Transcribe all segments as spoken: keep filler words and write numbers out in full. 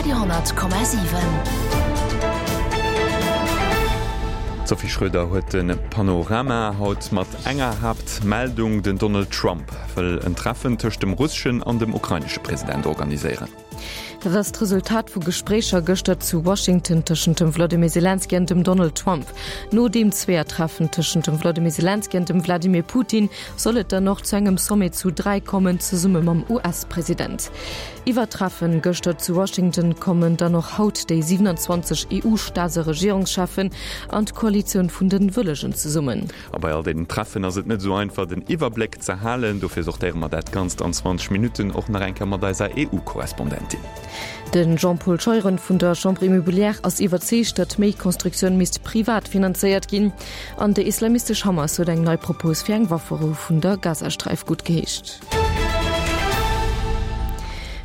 Radio honnert Komma siwen. D'Sophie Schröder huet de Panorama haut mat enger Haaptmeldung, Den Donald Trump wëll en Treffen tëscht dem russeschen an dem ukrainesche President organiséieren. Dat ass d'Resultat vu Gespréicher gëschter zu Washington tëschent dem Wladimir Selenskyj an dem Donald Trump. No deem Zweeër-Treffen tëschent dem Wladimir Selenskyj an dem Wladimir Putin soll et dann och zu engem Sommet zu dräi kommen, zesumme mam US-President. Iwwer d'Treffen gëschter zu Washington kommen dann och haut déi siewenanzwanzeg E U-Staats a Regierungscheffen an d'Koalitioun vun den Wëllegen zesummen. A bei all deenen Treffen ass et net esou einfach den Iwwerbléck ze halen. Dofir sortéiere mer dat Ganzt an zwanzeg Minutten och nach eng Kéier mat eiser E U-Korrespondentin. De Jean-Paul Scheuren vun der Chambre Immobilière ass iwwerzeegt, datt méi Constructioun misst privat finanzéiert ginn. An déi islamistesch Hamas huet eng nei Propos fir eng Wafferou vun der Gazasträif guttgeheescht.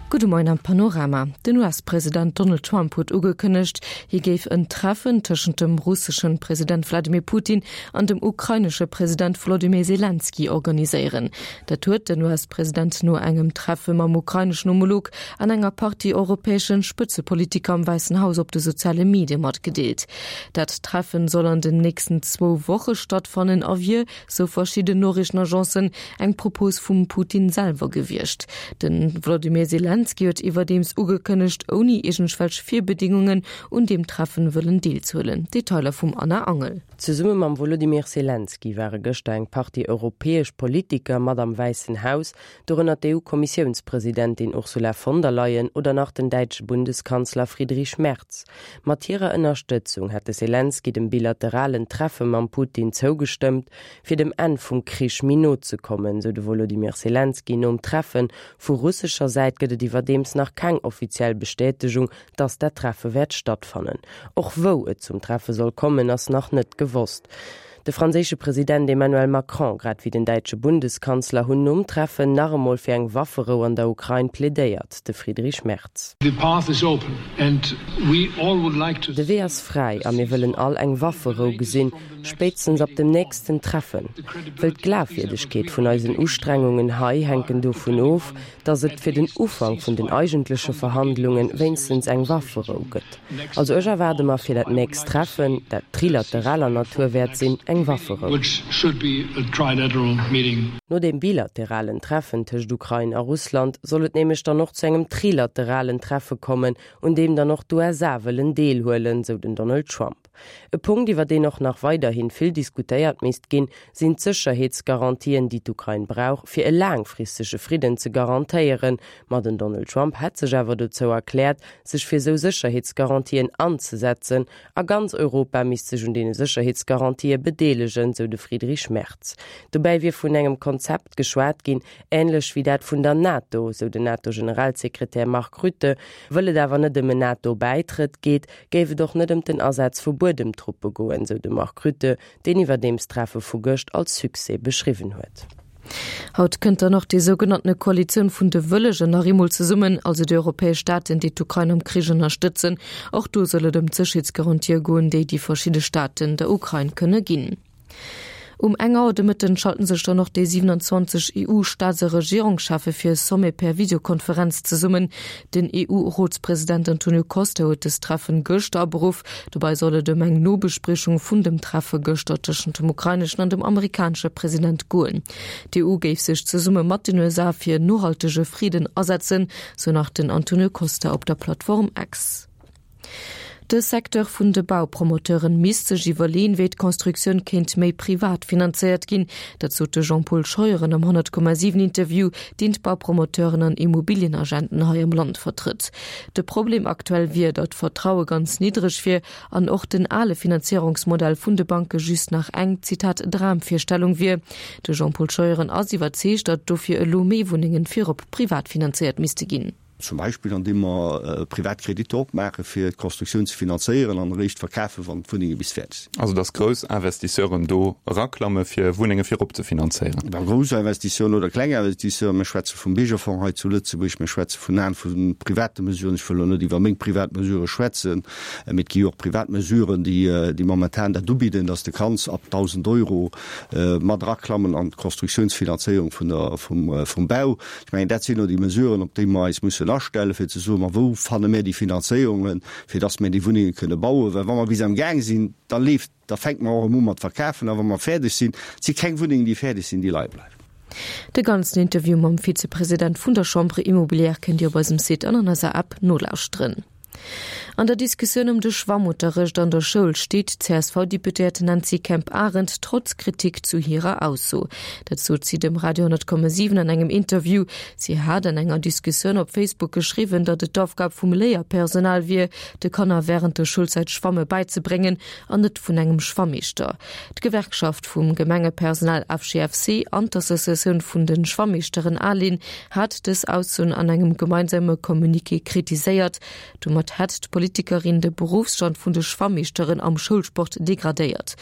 Gudde Moien am Panorama. Den U S-President Donald Trump huet ugekënnegt, hie géif en Treffen tëschent dem russesche President Wladimir Putin an dem ukrainesche President Wolodymyr Selenskyj organiséieren. Dat huet den U S-President no engem Treffe mam ukraineschen Homolog an enger Partie europäesche Spëtzepolitiker am Wäissen Haus op de soziale Medie matgedeelt. Dat Treffen soll an den nächsten zwou Woche stattfannen a wier, sou verschidden Noriichtenagencen, eng Propos vum Putin selwer gewiescht. De Wolodymyr Selenskyj huet iwwerdeems ugekënnegt, ouni iergendwelch Virbedingungen un deem Treffen wëllen deelzehuelen. Detailer vum Anna Angel. Zesumme mam Wolodymyr Selenskyj ware gëschter eng Partie europäesch Politiker mat am Wäissen Haus, dorënner d'E U-Kommissiounspresidentin Ursula von der Leyen oder nach den däitsche Bundeskanzler Friedrich Merz. Mat hirer Ënnerstëtzung hätt de Selenskyj dem bilateralen Treffe mam Putin zougestëmmt, fir dem Enn vum Krich méi no ze kommen, sou de Wolodymyr Selenskyj nom Treffen. Vu russescher Säit gëtt et iwwerdeems nach keng offiziell Bestätegung, dass dat Treffe wäert stattfannen. Och wou et zum Treffe soll kommen, ass nach net gewosst. De franséische President Emmanuel Macron grad wéi den däitsche Bundeskanzler hunn nom Treffen nach emol fir eng Wafferou an der Ukrain plädéiert. De Friedrich Merz. De Wee ass fräi a mir wëllen all eng Wafferou gesinn, spéitstens ab dem nächsten Treffen. Wëll d'Glafwierdegkeet vun eisen Ustrengungen hei hänken dovun of, datt et fir den Ufank vun den eigentleche Verhandlunge wéinstens eng Wafferou gëtt. Also ech erwaarde mer fir dat nächst Treffen, dat trilateraler Natur wäert sinn, eng Wafferou. No dem bilateralen Treffen tëscht Ukrain a Russland soll et nämlech dann och zu engem trilateralen Treffe kommen, un deem dann och d'U S A wëllen deelhuelen, sou den Donald Trump. E Punkt, iwwer deen och nach weiderhi vill diskutéiert misst ginn, sinn d'Sécherheetsgarantien, déi d'Ukrain brauch, fir e laangfristege Fridden ze garantéieren. Ma den Donald Trump hätt sech awer dozou erkläert, sech fir sou Sécherheetsgarantien anzesetzen, a ganz Europa misst sech un deene Sécherheetsgarantië bedeelegen, sou de Friedrich Merz. Dobäi wier vun engem Konzept geschwat ginn, änlech wéi dat vun der NATO, sou den NATO-Generalsekretär Mark Rutte. Wëll et awer net ëm en NATO-Bäitrëtt geet, géif et och net ëm den Asaz vu Buedemtruppe goen, sou de Mark Rutte, deen iwwerdeems d'Treffe vu gëscht als Succès beschriwwen huet. Haut kënnt dann och déi sougenannte Koalitioun vun de Wëllegen nach eemol zesummen, also déi europäesch Staaten, déi d'Ukrain am Krich ënnerstëtzen. Och do soll et ëm d'Sécherheetsgarantië goen, déi déi verschidde Staaten der Ukrain kënne ginn. Um eng Auer de Mëtten schalten sech dann och déi siewenanzwanzeg E U-Staats a Regierungscheffe fir e Sommet per Videokonferenz zesummen. Den E U-Rotspresident Antonio Costa huet dëst Treffen gëschter aberuff. Dobäi soll et ëm eng Nobespriechung vun dem Treffe gëschter tëschent dem ukraineschen an dem amerikanesche President goen. D'E U géif sech zesumme mat den U S A fir nohaltege Friden asetzen, sou nach den Antonio Costa op der Plattform X. De Secteur vun de Baupromoteuren misst sech iwwerleeën, wéi d'Constructioun kéint méi privat finanzéiert ginn. Dat sot de Jean-Paul Scheuren am honnert Komma siwen Interview, deen d'Baupromoteuren an Immobilienagenten hei am Land vertrëtt. De Problem aktuell wier, datt d'Vertraue ganz niddreg wier an och den ale Finanzéierungsmodell vun de Banke just nach eng, Zitat, Dramvirstellung wier. De Jean-Paul Scheuren ass iwwerzeegt, datt dofir elo méi Wunnengen virop privat finanzéiert misste ginn. Zum Beispill andeem mer privat Kreditter opmaache fir d'Constructioun ze finanzéieren an eréischt verkafen, wann d'Wunnenge bis fäerdeg sinn. Also datt grouss Investisseuren do eraklamme fir Wunnenge virop ze finanzéieren? Bon, grouss Investisseuren oder kleng Investisseuren, mir schwätze vum Biergerfonds hei zu Lëtzebuerg, mir schwätze vun an vu private Mesuren, ech wëll elo net iwwer meng privat Mesurë schwätzen, mee et gi jo och privat Mesuren, déi déi momentan dat ubidden, datt s de kanns ab dausend Euro mat eraklammen an d'Constructiounsfinanzéierung vun der vum vum Bau. Ech mengen, dat sinn elo déi Mesuren, op déi mer eis mussen missten astellen, fir ze soen, ma wou fanne mir déi Finanzéierungen, fir dass mir déi Wunnenge kënne bauen. Well wa mer bis am Gaang sinn, da leeft, da fänke mer och erëm u mat verkafen, a wa mer fäerdeg sinn, et si keng Wunnengen, déi fäerdeg sinn, déi leie bleiwen. De ganzen Interview mam Vizepresident vun der Chambre Immobilière kënnt Dir op eisem Site an an eiser App nolauschteren. An der Diskussioun ëm de Schwammunterrecht an der Schoul steet d'CSV-Deputéiert Nancy Kemp-Arendt trotz Kritik zu hirer Ausso. Dat sot si dem Radio honnert Komma siwen an engem Interview. Si hat an enger Diskussioun op Facebook geschriwwen, datt et d'Aufgab vum Léierpersonal wier, de Kanner wärend der Schoulzäit Schwamme beizebréngen an net vun engem Schwammeeschter. D'Gewerkschaft vum Gemengepersonal FGFC an d'Associatioun vun de Schwammeeschteren ALIN hat dës Aussoen an engem gemeinsame Communiqué kritiséiert. Domat hätt d'Politikerin de Beruffsstand vun de Schwammeeschteren am Schoulsport degradéiert.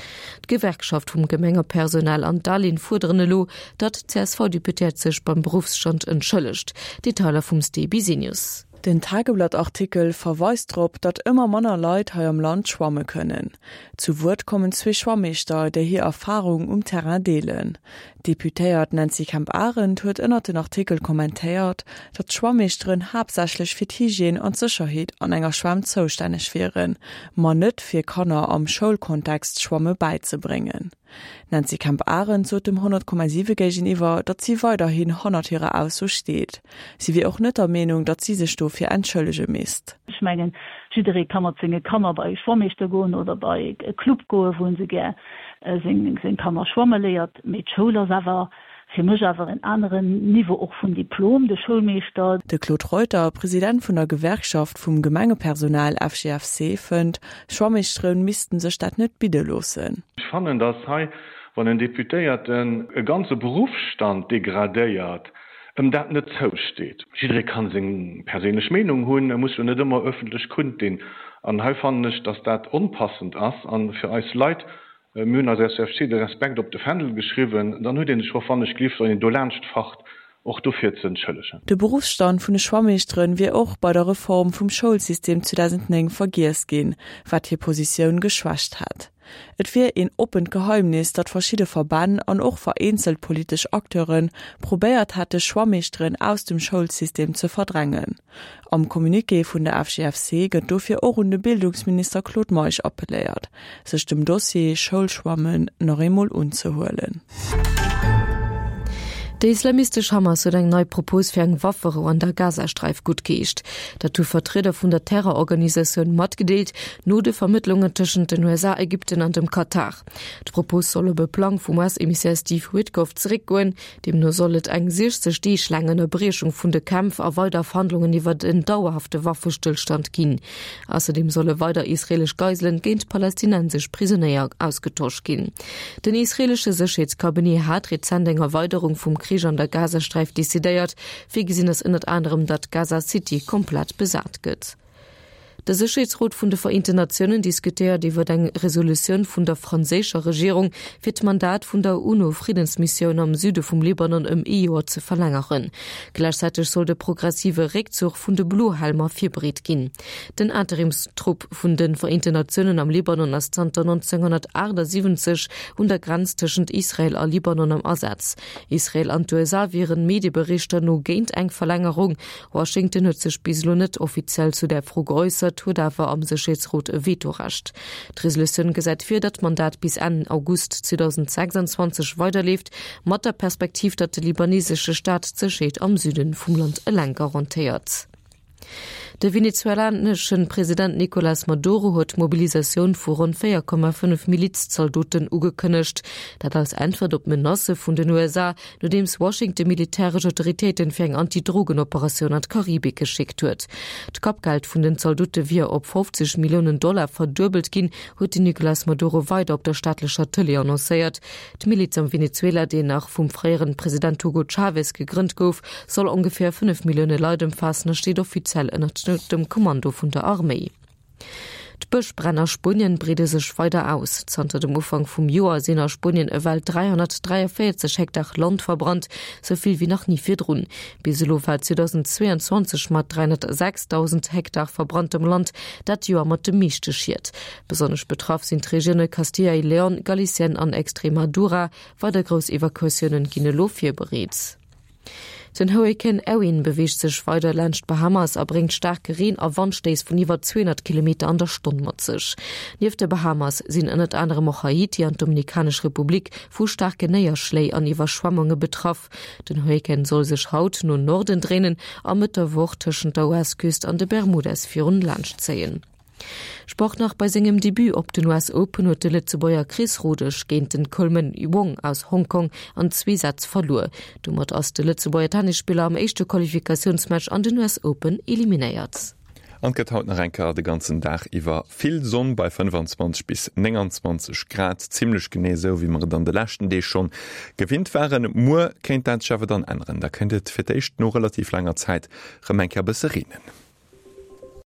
D'Gewerkschaft vum Gemengepersonal an d'ALIN fuerderen elo, datt d'CSV-Deputéiert sech beim Beruffsstand entschëllegt. Detailer vum Ste Bisenius. Den Tageblatt-Artikel verweist drop, datt ëmmer manner Leit hei am Land schwamme kënnen. Zu Wuert kommen zwee Schwammeeschter, déi hir Erfarung um Terrain deelen. D'Deputéiert Nancy Kemp-Arendt huet ënnert den Artikel kommentéiert, datt d'Schwammeeschteren haaptsächlech fir d'Hygiène an d'Sécherheet an enger Schwämm zoustänneg wieren, ma net fir Kanner am Schoulkontext Schwamme bäizebréngen. D'Nancy Kemp-Arendt sot dem honnert Komma siwe géigeniwwer, datt si weiderhin hannert hirer Ausso steet. Si wier och net der Meenung, datt si sech dofir entschëllege misst. Ech mengen, jidderee ka mat senge Kanner bei e Schwammeeschter goen oder bei e Club goen, wou en se gär seng Kanner schwamme léiert. Mee d'Schoul ass awer fir mech awer en aneren Niveau och vun Diplom, de Schoulmeeschter. De Claude Reuter, President vun der Gewerkschaft vum Gemengepersonal F G F C, fënnt, Schwammeeschtere missten sech dat net bidde loossen. Ech fannen, dass hei, wann en Deputéierten e ganze Beruffsstand degradéiert, ëm dat net zousteet. Jidderee kann seng perséinlech Meenung hunn, e muss jo net ëmmer ëffentlech kundinn. An hei fannen ech, dass dat onpassend ass a fir eis Leit, mir hunn als S F C de Respekt op de Fändel geschriwwen, dann huet ee sech och wann ech gelift, wann een dolaanscht facht, och dofir ze entschëllegen. De Beruffsstand vun de Schwammeeschteren wier och bei der Reform vum Schoulsystem zweedausendnéng vergiess ginn, wat hir Positioun geschwächt hätt. Et wier een oppent Geheimnis, datt verschidde Verbänn an och vereenzelt politesch Acteure probéiert hätte Schwammeeschteren aus dem Schoulsystem ze verdrängen. Am Communiqué vun der F G F C gëtt dofir och un de Bildungsminister Claude Meisch appelléiert, sech dem Dossier Schoulschwammen nach eemol unzehuelen. Déi islamistesch Hamas huet eng nei Propos fir eng Wafferou an der Gazasträif guttgeheescht. Dat hu Vertrieder vun der Terrororganisatioun matgedeelt, no de Vermëttlungen tëschent den U S A, Ägypten an dem Katar. D'Propos soll op e Plang vum U S-Emissär Steve Witkoff zeréckgoen. Deemno soll et eng siechzeg Deeg laang Ënnerbriechung vun de Kämpf a weider Verhandlungen iwwer en dauerhafte Waffestëllstand ginn. Ausserdeem solle weider israeelesch Geiselen géint palästinensesch Prisonéier ausgetosch ginn. Den israeelesche Sécherheetscabinet hat rezent eng Erweiderung vum Krich an der Gazasträif decidéiert. Virgesinn ass ënnert anerem, datt Gaza City komplett besat gëtt. De Sécherheetsrot vun de Vereenten Natiounen diskutéiert iwwer eng Resolutioun vun der franséischer Regierung, fir d'Mandat vun der UNO-Friddensmissioun am Süde vum Libanon ëm ee Joer ze verlängeren. Gläichzäiteg soll de progressive Réckzuch vun de Blohelmer virbereet ginn. Den Interimstrupp vun de Vereenten Natiounen am Libanon ass zanter nonzénghonnertaachtsiwwenzeg un der Grenz tëschent Israel a Libanon am Asaz. Israel an d'U S A wieren Medieberichter no géint eng Verlängerung. Washington huet sech bis elo net offiziell zu der Fro geäussert, huet awer am Sécherheetsrot e Vetorecht. D'Resolutioun gesäit vir, datt d'Mandat bis Enn August zweedausendsechsanzwanzeg weiderleeft, mat der Perspektiv, datt de libanesesche Staat d'Sécherheet am Süde vum Land eleng garantéiert. De venezuelanesche President Nicolas Maduro huet d'Mobilisatioun vu ronn véier Komma fënnef Miliz-Zaldoten ugekënnegt. Dat als Äntwert op d'Menacë vun den U S A, nodeems Washington militäresch Autoritéiten fir eng Anti-Drogen-Operatioun an d'Karibik geschéckt huet. D'Kappgeld vun den Zaldote wier op fofzeg Milliounen Dollar verduebelt ginn, huet den Nicolas Maduro weider op der staatlecher Tëlee annoncéiert. D'Miliz am Venezuela, déi nach vum fréiere President Hugo Chavez gegrënnt gouf, soll ongeféier fënnef Millioune Leit ëmfaassen a steet offiziell ënnert dem Kommando vun der Arméi. D'Bëschbränn a Spuenien breede sech weider aus. Zanter dem Ufank vum Joer sinn a Spuenien ewell dräihonnertdräiavéierzeg Hektar Land verbrannt, sou vill wéi nach ni virdrun. Bis elo war zweedausendzweeanzwanzeg mat dräihonnertsechsdausend Hektar verbranntem Land dat Joer mat de meeschte Schied. Besonnesch betraff sinn d'Regioune Castilla y León, Galicien an Extremadura. Weider grouss Evakuatioune ginn elo virbereet. Den Hurrikan Erin beweegt sech weider laanscht d'Bahamas a bréngt staarke Reen a Wandstéiss vun iwwer zweehonnert Kilometer an der Stonn mat sech. Nieft de Bahamas sinn ënnert anerem och Haiti an d'Dominikanesch Republik vu staarken Néierschléi an Iwwerschwemmunge betraff. Den Hurrikan soll sech haut no Norden dréinen a Mëtt der Woch tëschent der U S-Küst an de Bermudas virun laanscht zéien. Sport nach, Bei sengem Debut op den U S Open huet de Lëtzebuerger Chris Rodesch géint den Coleman Wong aus Hongkong an zwee Sätz verluer. Domat ass de Lëtzebuerger Tennisspiller am éischte Qualifikatiounsmatch an den U S Open eliminéiert. An et gëtt haut nach eng Kéier de ganzen Dag iwwer vill Sonn bei fënnfanzwanzeg bis nénganzwanzeg Grad, zimmlech genee esou wéi mer et an de leschten Deeg schonn gewinnt waren. Muer kéint dat sech awer dann änneren, da kéint et fir d'éischt no relativ laanger Zäit rëm eng Kéier bësse reenen.